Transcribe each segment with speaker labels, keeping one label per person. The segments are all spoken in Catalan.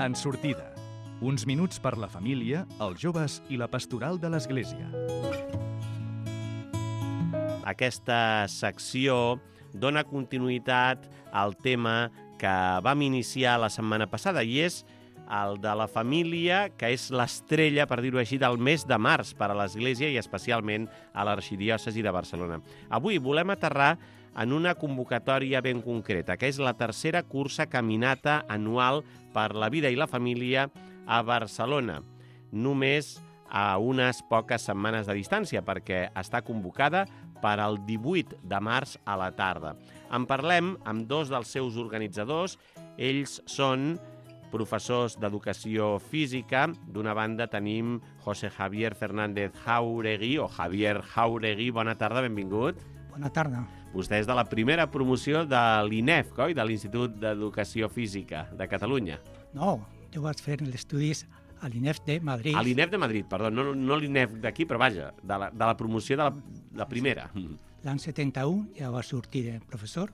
Speaker 1: En sortida. Uns minuts per la família, els joves i la pastoral de l'Església.
Speaker 2: Aquesta secció dona continuïtat al tema que vam iniciar la setmana passada i és el de la família, que és l'estrella, per dir-ho així, del mes de març per a l'Església i especialment a l'Arxidiòcesi de Barcelona. Avui volem aterrar en una convocatòria ben concreta, que és la tercera cursa caminata anual per la vida i la família a Barcelona. Només a unes poques setmanes de distància, perquè està convocada per al 18 de març a la tarda. En parlem amb dos dels seus organitzadors. Ells són professors d'educació física. D'una banda tenim José Javier Fernández Jauregui, o Javier Jauregui. Bona tarda, benvingut.
Speaker 3: Bona tarda.
Speaker 2: Vostè és de la primera promoció de l'INEF, oi? De l'Institut d'Educació Física de Catalunya.
Speaker 3: No, jo vaig fer els estudis a l'INEF de Madrid.
Speaker 2: A l'INEF de Madrid, perdó, no l'INEF d'aquí, però vaja, de la promoció de la primera.
Speaker 3: L'any 71 ja va sortir de professor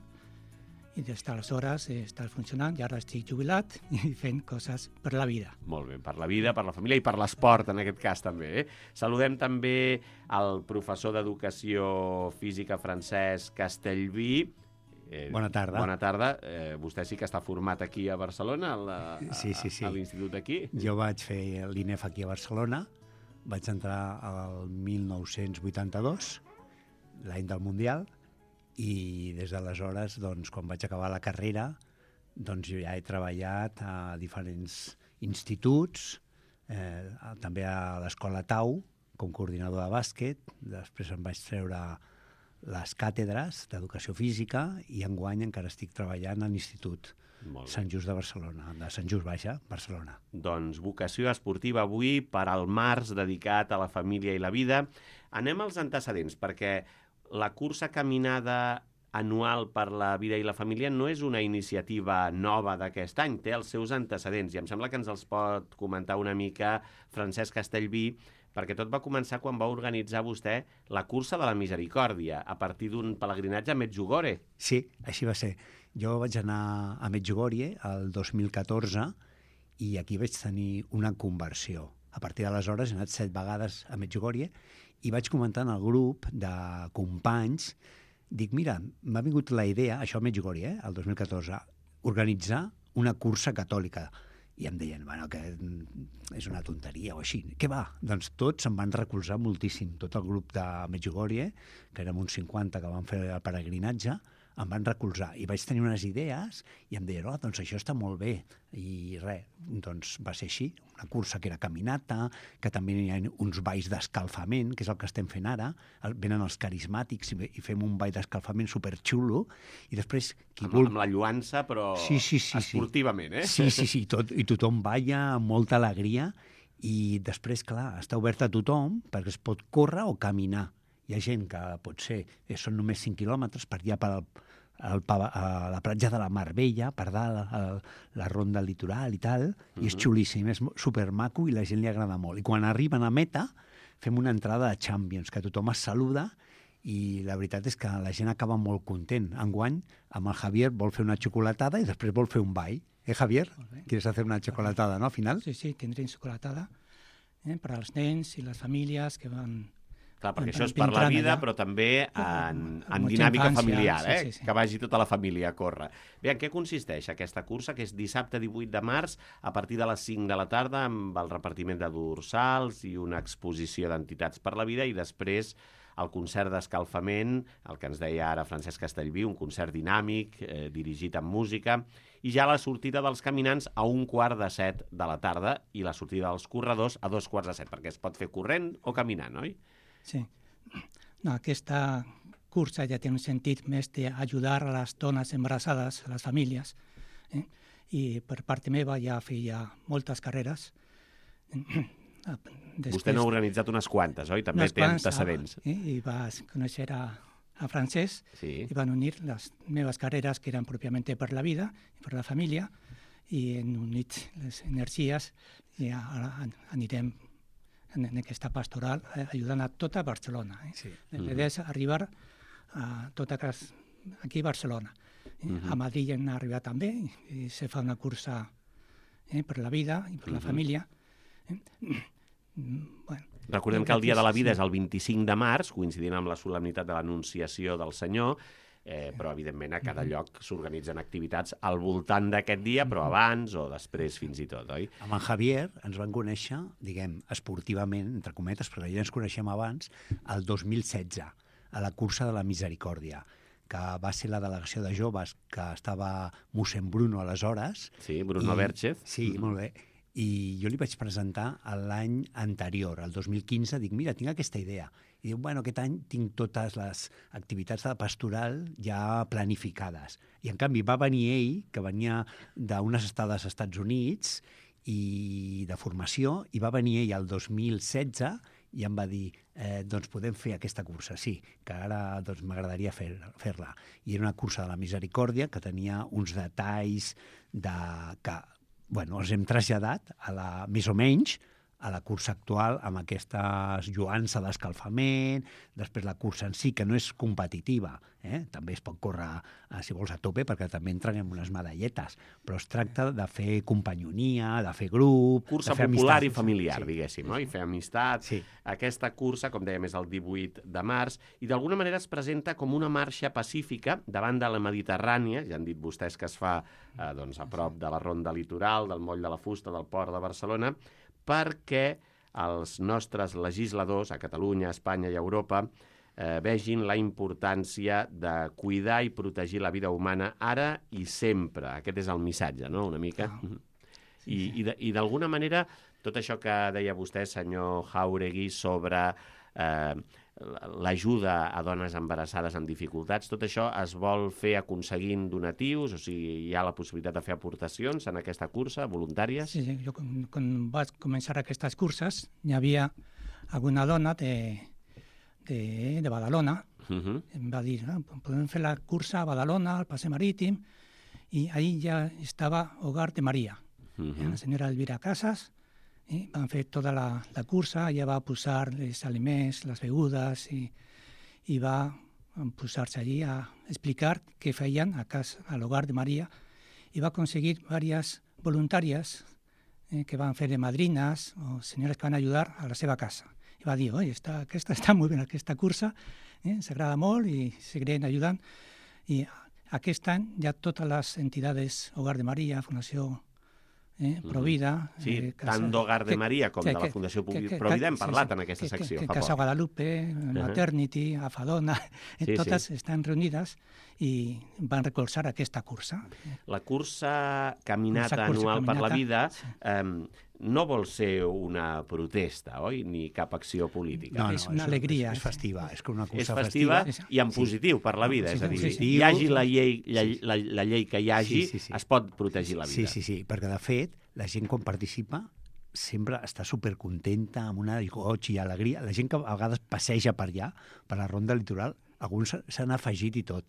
Speaker 3: i des d'aleshores he estat funcionant i ara estic jubilat i fent coses per la vida.
Speaker 2: Molt bé, per la vida, per la família i per l'esport, en aquest cas també. Saludem també el professor d'Educació Física Francesc Castellví.
Speaker 4: Bona tarda.
Speaker 2: Bona tarda. Vostè sí que està format aquí a Barcelona,
Speaker 4: Sí.
Speaker 2: a l'institut d'aquí?
Speaker 4: Jo vaig fer l'INEF aquí a Barcelona, vaig entrar al 1982, l'any del Mundial, i des d'aleshores, doncs, quan vaig acabar la carrera, doncs jo ja he treballat a diferents instituts, també a l'Escola Tau, com coordinador de bàsquet, després em vaig treure les càtedres d'Educació Física i enguany encara estic treballant a l'Institut Sant Just de Barcelona, de Sant Just Baixa, Barcelona.
Speaker 2: Doncs vocació esportiva avui per al març dedicat a la família i la vida. Anem als antecedents, perquè la cursa caminada anual per la vida i la família no és una iniciativa nova d'aquest any, té els seus antecedents i em sembla que ens els pot comentar una mica Francesc Castellví, perquè tot va començar quan va organitzar vostè la cursa de la Misericòrdia a partir d'un pelegrinatge a Medjugorje.
Speaker 4: Sí, així va ser. Jo vaig anar a Medjugorje el 2014 i aquí vaig tenir una conversió. A partir d'aleshores he anat 7 vegades a Medjugorje i vaig comentar en el grup de companys, dic, mira, m'ha vingut la idea, això a Medjugorje, el 2014, organitzar una cursa catòlica. I em deien, bueno, que és una tonteria o així. Què va? Doncs tots em van recolzar moltíssim. Tot el grup de Medjugorje, que érem uns 50 que van fer el peregrinatge, em van recolzar. I vaig tenir unes idees i em deien, doncs això està molt bé. I res, doncs va ser així. Una cursa que era caminata, que també hi ha uns balls d'escalfament, que és el que estem fent ara. Venen els carismàtics i fem un ball d'escalfament superxulo. I després...
Speaker 2: Amb la lluança, però esportivament, eh?
Speaker 4: Sí. I tothom balla amb molta alegria. I després, clar, està obert a tothom perquè es pot córrer o caminar. Hi ha gent que potser són només 5 quilòmetres per allà a la platja de la Mar Bella, per dalt, la ronda litoral i tal, i és xulíssim, és supermaco i la gent li agrada molt. I quan arriben a meta, fem una entrada de Champions, que tothom es saluda i la veritat és que la gent acaba molt content. Enguany, amb el Javier vol fer una xocolatada i després vol fer un ball. Javier? ¿Quieres hacer una chocolatada, no, al final?
Speaker 3: Sí, tindrem xocolatada per als nens i les famílies que van...
Speaker 2: Clar, perquè això és per la vida, però també en dinàmica familiar,
Speaker 3: sí.
Speaker 2: Que vagi tota la família a córrer. Bé, en què consisteix aquesta cursa, que és dissabte 18 de març, a partir de les 5 de la tarda, amb el repartiment de dorsals i una exposició d'entitats per la vida, i després el concert d'escalfament, el que ens deia ara Francesc Castellví, un concert dinàmic, dirigit amb música, i ja la sortida dels caminants a 6:45 de la tarda i la sortida dels corredors a 6:45, perquè es pot fer corrent o caminant, oi?
Speaker 3: Sí. No, aquesta cursa ja té un sentit més d'ajudar a les dones embarassades, a les famílies. I per part meva ja feia moltes carreres.
Speaker 2: Vostè n'ha organitzat unes quantes, oi? També té antecedents.
Speaker 3: I vas conèixer a Francesc i van unir les meves carreres, que eren pròpiament per la vida i per la família, i en unit les energies i ara anirem en aquesta pastoral ajudant a tota Barcelona. L'idea és arribar a tot aquí a Barcelona. A Madrid hem arribat també i se fa una cursa per la vida i per la família. Bueno,
Speaker 2: recordem que el Dia de la Vida és el 25 de març, coincidint amb la solemnitat de l'Anunciació del Senyor, però, evidentment, a cada lloc s'organitzen activitats al voltant d'aquest dia, però abans o després fins i tot, oi?
Speaker 4: Amb en Javier ens van conèixer, diguem, esportivament, entre cometes, perquè ja ens coneixem abans, el 2016, a la cursa de la Misericòrdia, que va ser la delegació de joves que estava mossèn Bruno aleshores.
Speaker 2: Sí, Bruno Berchez.
Speaker 4: Sí, molt bé. I jo li vaig presentar l'any anterior, el 2015, dic, mira, tinc aquesta idea. I diu, bueno, aquest any tinc totes les activitats de pastoral ja planificades. I, en canvi, va venir ell, que venia d'unes estades als Estats Units i de formació, i va venir ell el 2016 i em va dir, doncs podem fer aquesta cursa, sí, que ara doncs, m'agradaria fer-la. I era una cursa de la Misericòrdia que tenia uns detalls que els hem traslladat més o menys a la cursa actual amb aquesta lluança d'escalfament, després la cursa en si, que no és competitiva, també es pot córrer, si vols, a tope, perquè també entren en unes medalletes, però es tracta de fer companyonia, de fer grup...
Speaker 2: Cursa popular i familiar, diguéssim, no? I fer amistat. Sí. Aquesta cursa, com dèiem, és el 18 de març, i d'alguna manera es presenta com una marxa pacífica davant de la Mediterrània, ja han dit vostès que es fa a prop de la Ronda Litoral, del Moll de la Fusta, del Port de Barcelona, perquè els nostres legisladors a Catalunya, a Espanya i a Europa vegin la importància de cuidar i protegir la vida humana ara i sempre. Aquest és el missatge, no?, una mica. I d'alguna manera, tot això que deia vostè, senyor Jáuregui, sobre l'ajuda a dones embarassades amb dificultats, tot això es vol fer aconseguint donatius? O sigui, hi ha la possibilitat de fer aportacions en aquesta cursa, voluntàries?
Speaker 3: Sí, jo quan vaig començar aquestes curses hi havia alguna dona de Badalona. Em va dir, podem fer la cursa a Badalona, al Passeig Marítim, i ahí ja estava Hogar de Maria. La senyora Elvira Casas, van fer tota la cursa, ella va posar els aliments, les begudes, i va posar-se allí a explicar què feien a l'Hogar de Maria, i va aconseguir diverses voluntàries que van fer de madrines o senyores que van ajudar a la seva casa. I va dir, aquesta està molt bé, aquesta cursa, s'agrada molt i seguirem ajudant. I aquest any ja totes les entitats Hogar de Maria, Fundació Provida...
Speaker 2: Sí, tant d'Hogar de Maria com de la Fundació Provida hem parlat en aquesta secció.
Speaker 3: Casa Guadalupe, Maternity, Afadona, totes estan reunides i van recolzar aquesta cursa.
Speaker 2: La cursa Caminata Anual per la Vida no vol ser una protesta, oi? Ni cap acció política.
Speaker 3: No, és una alegria.
Speaker 4: És festiva.
Speaker 2: És festiva i en positiu per la vida. És a dir, hi hagi la llei que hi hagi, es pot protegir la vida.
Speaker 4: Sí, perquè de fet, la gent quan participa sempre està supercontenta, amb una goig i alegria. La gent que a vegades passeja per allà, per la Ronda Litoral, alguns s'han afegit i tot.